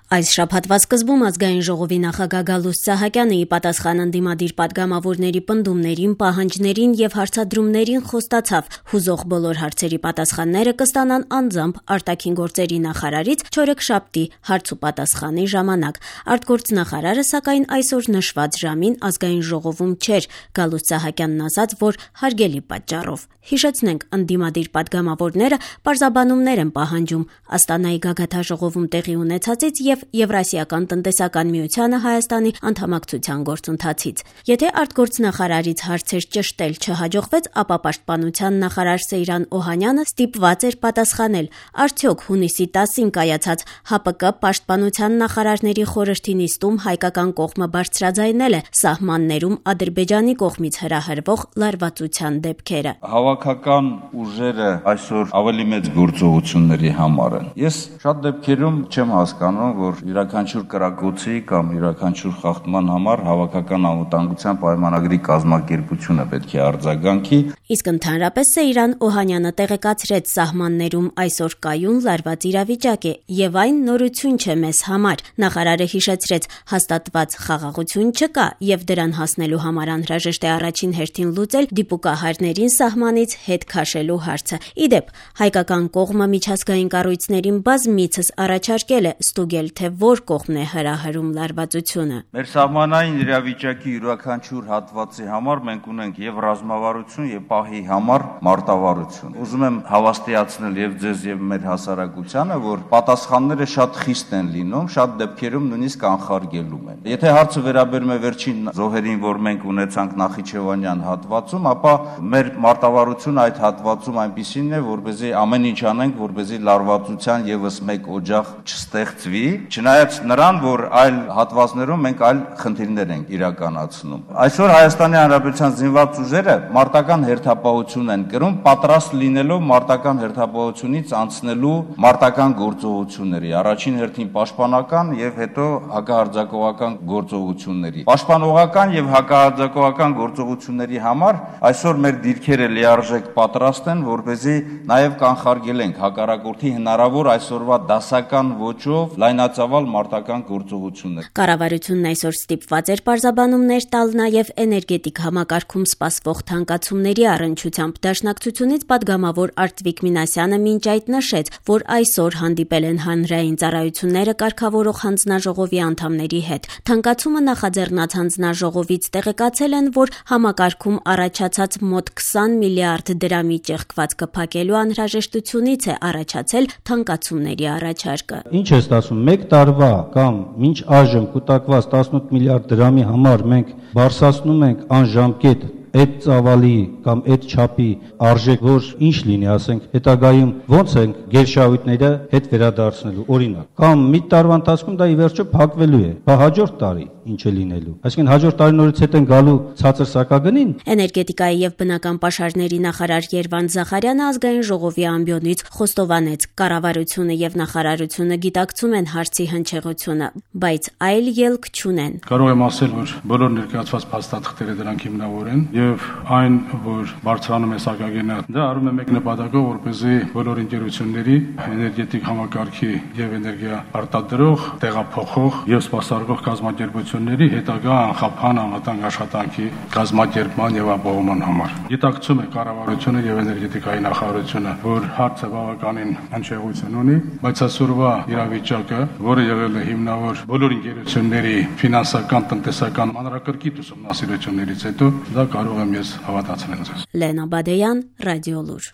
Այս շաբաթվա սկզբում ազգային ժողովի նախագահ Գալուստ Սահակյանը ի պատասխան ընդդիմադիր պատգամավորների պնդումներին, պահանջներին եւ հարցադրումներին խոստացավ հուզող բոլոր հարցերի պատասխանները կստանան անձամբ արտաքին գործերի նախարարից չորեքշաբթի հարց ու պատասխանի ժամանակ։ Արտգործնախարարը սակայն այսօր նշված ժամին ազգային ժողովում չէր, Գալուստ Սահակյանն ասաց, որ հարգելի պատճառով։ Հիշեցնենք, ընդդիմադիր պատգամավորները պարզաբանումներ են պահանջում Աստանայի գագաթաժողովում տեղի ունեցածից եւ Եվրասիական տնտեսական միությանը Հայաստանի անդամակցության գործընթացից։ Եթե արտգործնախարարից հարցեր ճշտել չհաջողվեց, ապա պաշտպանության նախարար Սեյրան Օհանյանը ստիպված էր պատասխանել, արդյոք հունիսի 10-ին կայացած ՀԱՊԿ պաշտպանության նախարարների խորհրդի նիստում հայկական կողմը բարձրաձայնել է սահմաններում Ադրբեջանի կողմից հրահրվող լարվածության դեպքերը։ Հավաքական ուժերը այսօր ավելի մեծ գործողությունների համար են։ Ես շատ դեպքերում չեմ հասկանում, որ յուրաքանչյուր կրակոցի կամ յուրաքանչյուր խախտման համար հավաքական անվտանգության պայմանագրի կազմակերպությունը պետք է արձագանքի։ Իսկ ընդհանրապես Սեյրան Օհանյանը տեղեկացրեց սահմաններում այսօր կայուն լարված իրավիճակ է եւ այն նորություն չէ մեզ համար։ Նախարարը հիշեցրեց, հաստատված խաղաղություն չկա եւ դրան հասնելու համար անհրաժեշտ է առաջին հերթին լուծել դիպուկահարներին սահմանից հետ քաշելու հարցը։ Իդեպ, հայկական կողմը միջազգային կառույցներին բազմիցս առաջարկել է ստուգել, թե որ կողմն է հրահրում լարվածությունը։ Մեր սահմանային իրավիճակի յուրաքանչյուր հատվածի համար մենք ունենք եւ ռազմավարություն եւ պահի համար մարտավարություն։ Ուզում եմ հավաստիացնել եւ ձեզ եւ մեր հասարակությանը, որ պատասխանները շատ խիստ են լինում, շատ դեպքերում նույնիսկ անխարգելում են։ Եթե հարցը վերաբերում է վերջին զոհերին, որ մենք ունեցանք Նախիջևանյան հատվածում, ապա մեր մարտավարությունը այդ հատվածում այնպիսին է, որպեսզի ամեն ինչ անենք, որպեսզի լարվածության եւս մեկ օջախ չստեղծվի, չնայած նրան, որ այլ հատվածներում մենք այլ խնդիրներ ենք իրականացնում։ Այսօր Հայաստանի Հանրապետության զինված ուժերը մարտական հերթապահություն են կրում, պատրաստ լինելով մարտական հերթապահությունից անցնելու մարտական գործողությունների, առաջին հերթին պաշտպանական եւ հետո հակահարձակողական գործողությունների։ Պաշտպանողական եւ հակահարձակողական գործողությունների համար այսօր մեր դիրքերը լիարժեք պատրաստ են, որպեսզի նաեւ կանխարգելենք հակառակորդի հնարավոր այսօրվա դասական ոճով լայնածավալ մարտական գործողություններ։ Կառավարությունն այսօր ստիպված էր պարզաբանումներ տալ նաեւ էներգետիկ համակարգում սպասվող թանկացումների առնչությամբ։ Դաշնակցությունից պատգամավոր Արտվիկ Մինասյանը մինչ այդ նշեց, որ այսօր հանդիպել են հանրային ծառայությունները կարգավորող հանձնաժողովի անդամների հետ։ Թանկացումը նախաձեռնած հանձնաժողովից տեղեկացել են, որ համակարգում առաջացած մոտ 20 միլիարդ դրամի ճեղքվածքը փակելու անհրաժեշտությունից է առաջացել թանկացումների առաջարկը։ Ինչ է ստացվում, մեկ տարվա կամ մինչ այժմ կուտակված 18 միլիարդ դրամի համար մենք բարձրացնում ենք անժամկետ այդ ծավալի կամ այդ չափի արժեք, որ ինչ լինի, ասենք, հետագայում ոնց ենք գերշահույթները հետ վերադարձնելու, օրինակ, կամ մի տարվա ընթացքում դա ի վերջո փակվելու է, բա հաջորդ տարի ինչ է լինելու։ Այսինքն հաջորդ տարիներից հետ են գալու ցածր սակագնին։ Էներգետիկայի եւ բնական պաշարների նախարար Երվանդ Զախարյանը ազգային ժողովի ամբիոնից խոստովանեց, կառավարությունը եւ նախարարությունը գիտակցում են հարցի հնչեղությունը, բայց այլ ելք չունեն։ Կարող եմ ասել, որ բոլոր ներկայացված փաստաթղթերը դրանք հիմնավոր են եւ այն, որ բարձրանում է սակագինը, դա արվում է մեկ նպատակով, որպեսզի բոլոր ընկերությունների էներգետիկ համակարգի եւ էներգիա արտադրող, տեղափոխող եւ սպասարկող կազմակերպությունների հետագա անխափան անվտանգ աշխատանքի կազմակերպման եւ ապահովման համար։ Գիտակցում է կառավարությունը եւ էներգետիկայի նախարարությունը, որ հարցը բավականին հնչեղություն ունի, բայց այսօրվա իրավիճակը, որը եղել է հիմնավոր բոլոր ընկերությունների ֆինանսական, տնտեսական մանրակրկիտ ուսումնասիրություններից հետո, դա կարող եմ ես հավատացնել ձեզ։ Լենա Բադեյան, Ռադիոլուր։